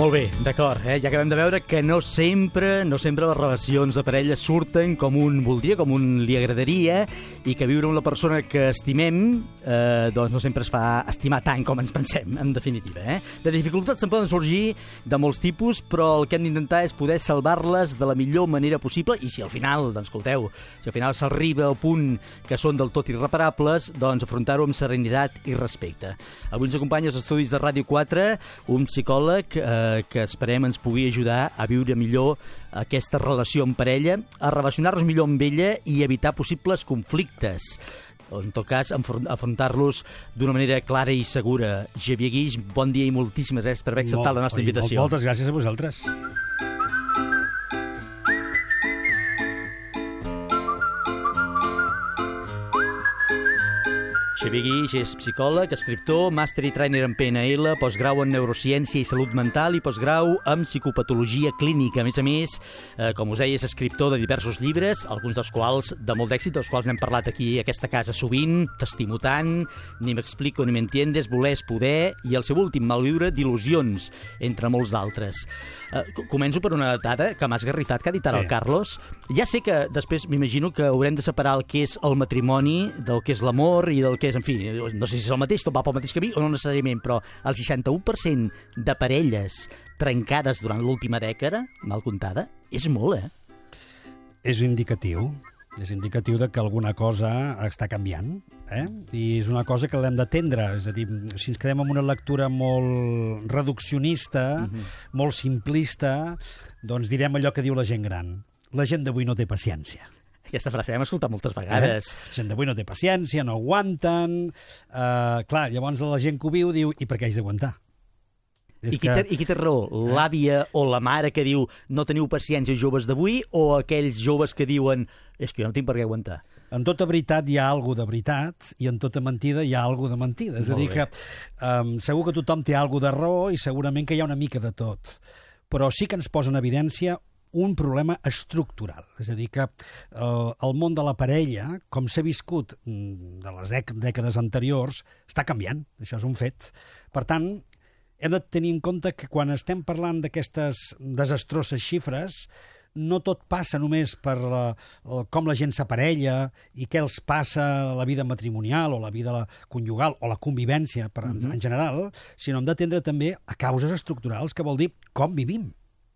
Molt bé, d'acord. Ja acabem de veure que no sempre les relacions de parella surten com un voldria, com un li agradaria, i que viure amb la persona que estimem doncs no sempre es fa estimar tant com ens pensem, en definitiva. De dificultats se'n poden sorgir de molts tipus, però el que hem d'intentar és poder salvar-les de la millor manera possible, i si al final, doncs escolteu, si al final s'arriba al punt que són del tot irreparables, doncs afrontar-ho amb serenitat i respecte. Avui ens acompanya als estudis de Ràdio 4 un psicòleg que esperem ens pugui ajudar a viure millor aquesta relació en parella, a relacionar-nos millor amb ella i evitar possibles conflictes, o en tot cas afrontar-los d'una manera clara i segura. Xavier Guix, bon dia i moltíssimes gràcies per haver acceptat la nostra invitació. Moltes gràcies a vosaltres. Xavier Guix és psicòleg, escriptor, màster i trainer en PNL, postgrau en neurociència i salut mental i postgrau en psicopatologia clínica. A més, com us deia, és escriptor de diversos llibres, alguns dels quals de molt d'èxit, dels quals n'hem parlat aquí a aquesta casa sovint, T'estimo tant, Ni m'explico ni m'entiendes, Voler és poder, i el seu últim, Malviure d'il·lusions, entre molts d'altres. Començo per una dada que m'ha esgarrifat, que ha dit ara el Carlos. Ja sé que després m'imagino que haurem de separar el que és el matrimoni del que és l'amor i del que és, en fi, no sé si és el mateix, tot va pel mateix camí o no necessàriament, però el 61% de parelles trencades durant l'última dècada, mal comptada, és molt, És indicatiu de que alguna cosa està canviant, i és una cosa que l'hem d'atendre. És a dir, si ens quedem amb una lectura molt reduccionista, molt simplista, doncs direm allò que diu la gent gran. La gent d'avui no té paciència. Aquesta frase l'hem escoltat moltes vegades. La gent d'avui no té paciència, no aguanten. Clar, llavors la gent que ho viu diu, i per què haig d'aguantar? I qui té raó? L'àvia o la mare que diu no teniu paciència joves d'avui, o aquells joves que diuen és que jo no tinc per què aguantar? En tota veritat hi ha alguna de veritat i en tota mentida hi ha alguna de mentida. És a dir que segur que tothom té alguna de raó i segurament que hi ha una mica de tot. Però sí que ens posa en evidència un problema estructural. És a dir, que el món de la parella, com s'ha viscut de les dècades anteriors, està canviant. Això és un fet. Per tant, hem de tenir en compte que quan estem parlant d'aquestes desastroses xifres, no tot passa només per com la gent s'aparella i què els passa a la vida matrimonial o la vida conjugal o la convivència en general, sinó hem d'atendre també a causes estructurals, que vol dir com vivim,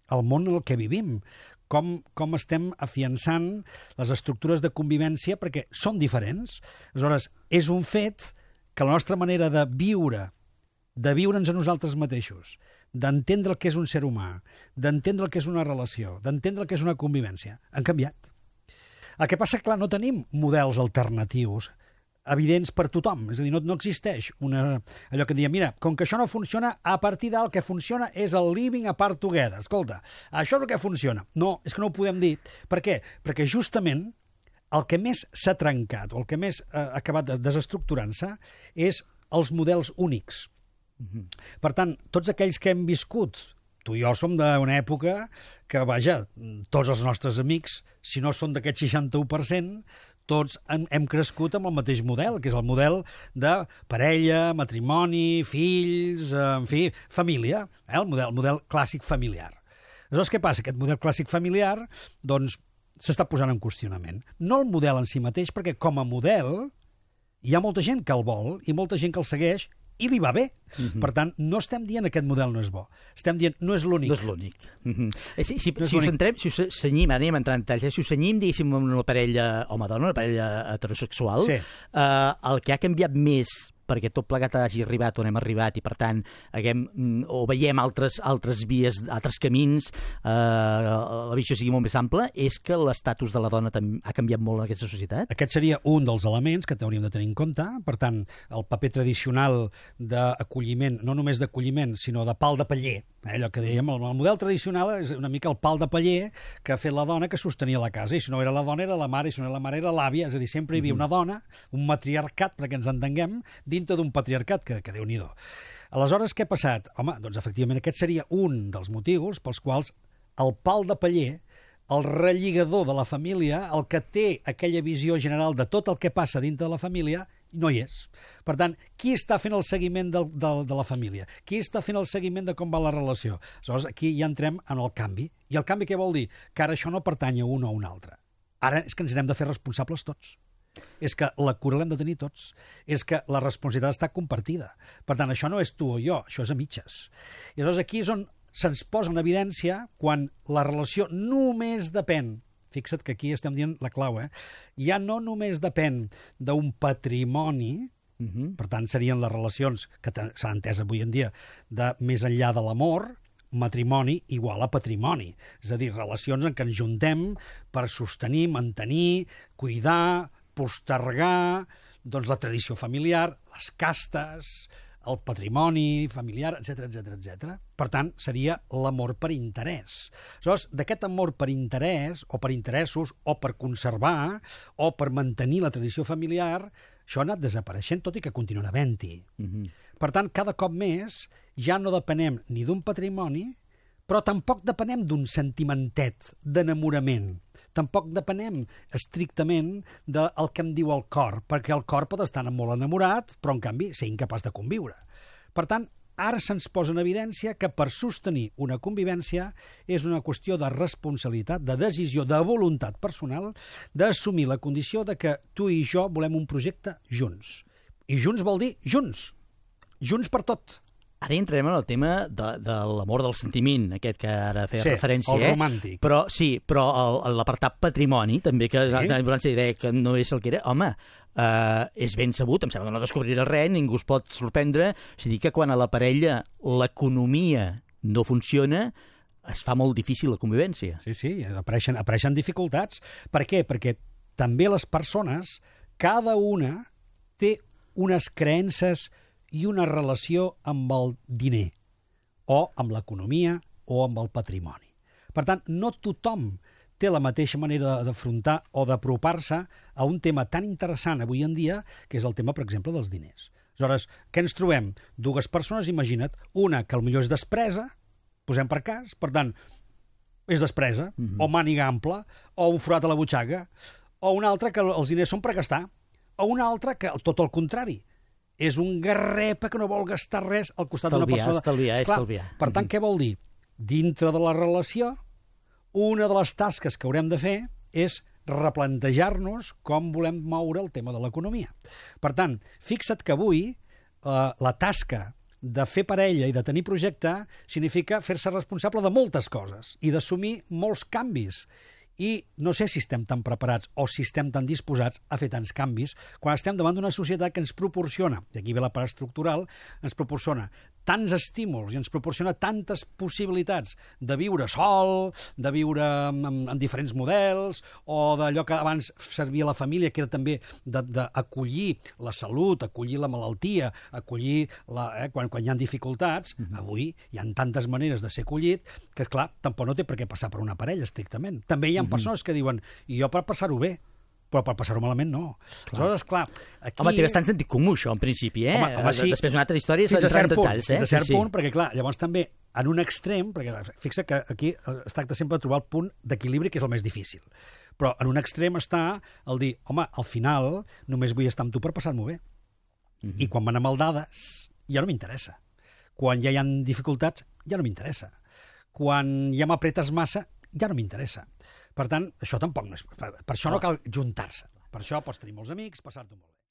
el món en el que vivim, com estem afiançant les estructures de convivència, perquè són diferents. Aleshores, és un fet que la nostra manera de viure'ns a nosaltres mateixos, d'entendre el que és un ser humà, d'entendre el que és una relació, d'entendre el que és una convivència, han canviat. El que passa, clar, no tenim models alternatius evidents per tothom. És a dir, no existeix allò que diem, mira, com que això no funciona, a partir del que funciona és el living apart together. Escolta, això és el que funciona. No, és que no ho podem dir. Per què? Perquè justament el que més s'ha trencat o el que més ha acabat desestructurant-se és els models únics. Per tant, tots aquells que hem viscut, tu i jo som d'una època que, vaja, tots els nostres amics, si no són d'aquest 61%, tots hem crescut amb el mateix model, que és el model de parella, matrimoni, fills, en fi, família, el model clàssic familiar. Aleshores, què passa? Aquest model clàssic familiar, doncs, s'està posant en qüestionament. No el model en si mateix, perquè com a model hi ha molta gent que el vol i molta gent que el segueix i li va bé. Per tant, no estem dient aquest model no és bo. Estem dient no és l'únic. No és l'únic. Si us cenyim, ara anem entrant en detalls, si us cenyim, diguéssim, una parella home-dona, una parella heterosexual, el que ha canviat més perquè tot plegat hagi arribat on hem arribat i, per tant, veiem altres vies, altres camins, la visió sigui molt més ampla, és que l'estatus de la dona ha canviat molt en aquesta societat? Aquest seria un dels elements que hauríem de tenir en compte. Per tant, el paper tradicional d'acolliment, no només d'acolliment, sinó de pal de paller, allò que dèiem, el model tradicional és una mica el pal de paller que ha fet la dona que sostenia la casa, i si no era la dona era la mare, i si no era la mare era l'àvia, és a dir, sempre hi havia una dona, un matriarcat, perquè ens entenguem, dintre d'un patriarcat, que Déu-n'hi-do. Aleshores, què ha passat? Home, doncs efectivament aquest seria un dels motius pels quals el pal de paller, el relligador de la família, el que té aquella visió general de tot el que passa dintre de la família, no hi és. Per tant, qui està fent el seguiment de la família? Qui està fent el seguiment de com va la relació? Aleshores, aquí ja entrem en el canvi. I el canvi què vol dir? Que ara això no pertany a un o a un altre. Ara és que ens n'hem de fer responsables tots. És que la cura l'hem de tenir tots. És que la responsabilitat està compartida. Per tant, això no és tu o jo, això és a mitges. I aleshores aquí és on se'ns posa en evidència quan la relació només depèn, fixa't que aquí estem dient la clau, ja no només depèn d'un patrimoni, per tant serien les relacions que s'han entès avui en dia de més enllà de l'amor, matrimoni igual a patrimoni. És a dir, relacions en què ens juntem per sostenir, mantenir, cuidar, postergar doncs, la tradició familiar, les castes, el patrimoni familiar, etc. Per tant, seria l'amor per interès. Aleshores, d'aquest amor per interès, o per interessos, o per conservar, o per mantenir la tradició familiar, això ha anat desapareixent, tot i que continua havent-hi. Per tant, cada cop més ja no depenem ni d'un patrimoni, però tampoc depenem d'un sentimentet d'enamorament. Tampoc depenem estrictament del que em diu el cor, perquè el cor pot estar molt enamorat, però en canvi ser incapaç de conviure. Per tant, ara se'ns posa en evidència que per sostenir una convivència és una qüestió de responsabilitat, de decisió, de voluntat personal, d'assumir la condició de que tu i jo volem un projecte junts. I junts vol dir junts. Junts per tot. Ara entrarem en el tema de l'amor del sentiment, aquest que ara feia referència. Sí, el romàntic. Però l'apartat patrimoni, també, que la idea que no és el que era, home, és ben sabut, em sembla que no descobrirà res, ningú es pot sorprendre, és a dir, que quan a la parella l'economia no funciona, es fa molt difícil la convivència. Sí, apareixen dificultats. Per què? Perquè també les persones, cada una té unes creences i una relació amb el diner, o amb l'economia, o amb el patrimoni. Per tant, no tothom té la mateixa manera d'afrontar o d'apropar-se a un tema tan interessant avui en dia, que és el tema, per exemple, dels diners. Aleshores, què ens trobem? Dues persones, imagina't, una que potser és despresa, posem per cas, per tant, és despresa, o màniga ampla, o un forat a la butxaca, o una altra que els diners són per gastar, o una altra que, tot el contrari, és un garrepa que no vol gastar res al costat d'una persona. Estalviar. Per tant, què vol dir? Dintre de la relació, una de les tasques que haurem de fer és replantejar-nos com volem moure el tema de l'economia. Per tant, fixa't que avui la tasca de fer parella i de tenir projecte significa fer-se responsable de moltes coses i d'assumir molts canvis. I no sé si estem tan preparats o si estem tan disposats a fer tants canvis quan estem davant d'una societat que ens proporciona, i aquí ve la part estructural, ens proporciona tants estímuls i ens proporciona tantes possibilitats de viure sol, de viure en diferents models, o d'allò que abans servia a la família, que era també d'acollir la salut, acollir la malaltia, acollir quan hi ha dificultats. Avui hi ha tantes maneres de ser acollit que, esclar, tampoc no té per què passar per una parella, estrictament. També hi ha persones que diuen, i jo per passar-ho bé, però per passar-ho malament no. Aleshores, clar, aquí... Home, té bastant sentit comú, això, en principi, Home, sí. Després una altra història fins a cert punt, detalls, fins a cert punt, perquè, clar, llavors també, en un extrem, perquè fixa que aquí es tracta sempre de trobar el punt d'equilibri, que és el més difícil. Però en un extrem està el dir, home, al final només vull estar amb tu per passar-m'ho bé. I quan van a maldades, ja no m'interessa. Quan ja hi ha dificultats, ja no m'interessa. Quan ja m'apretes massa, ja no m'interessa. Per tant, això tampoc no és... Per això no cal juntar-se. Per això pots tenir molts amics, passar-t'ho molt bé.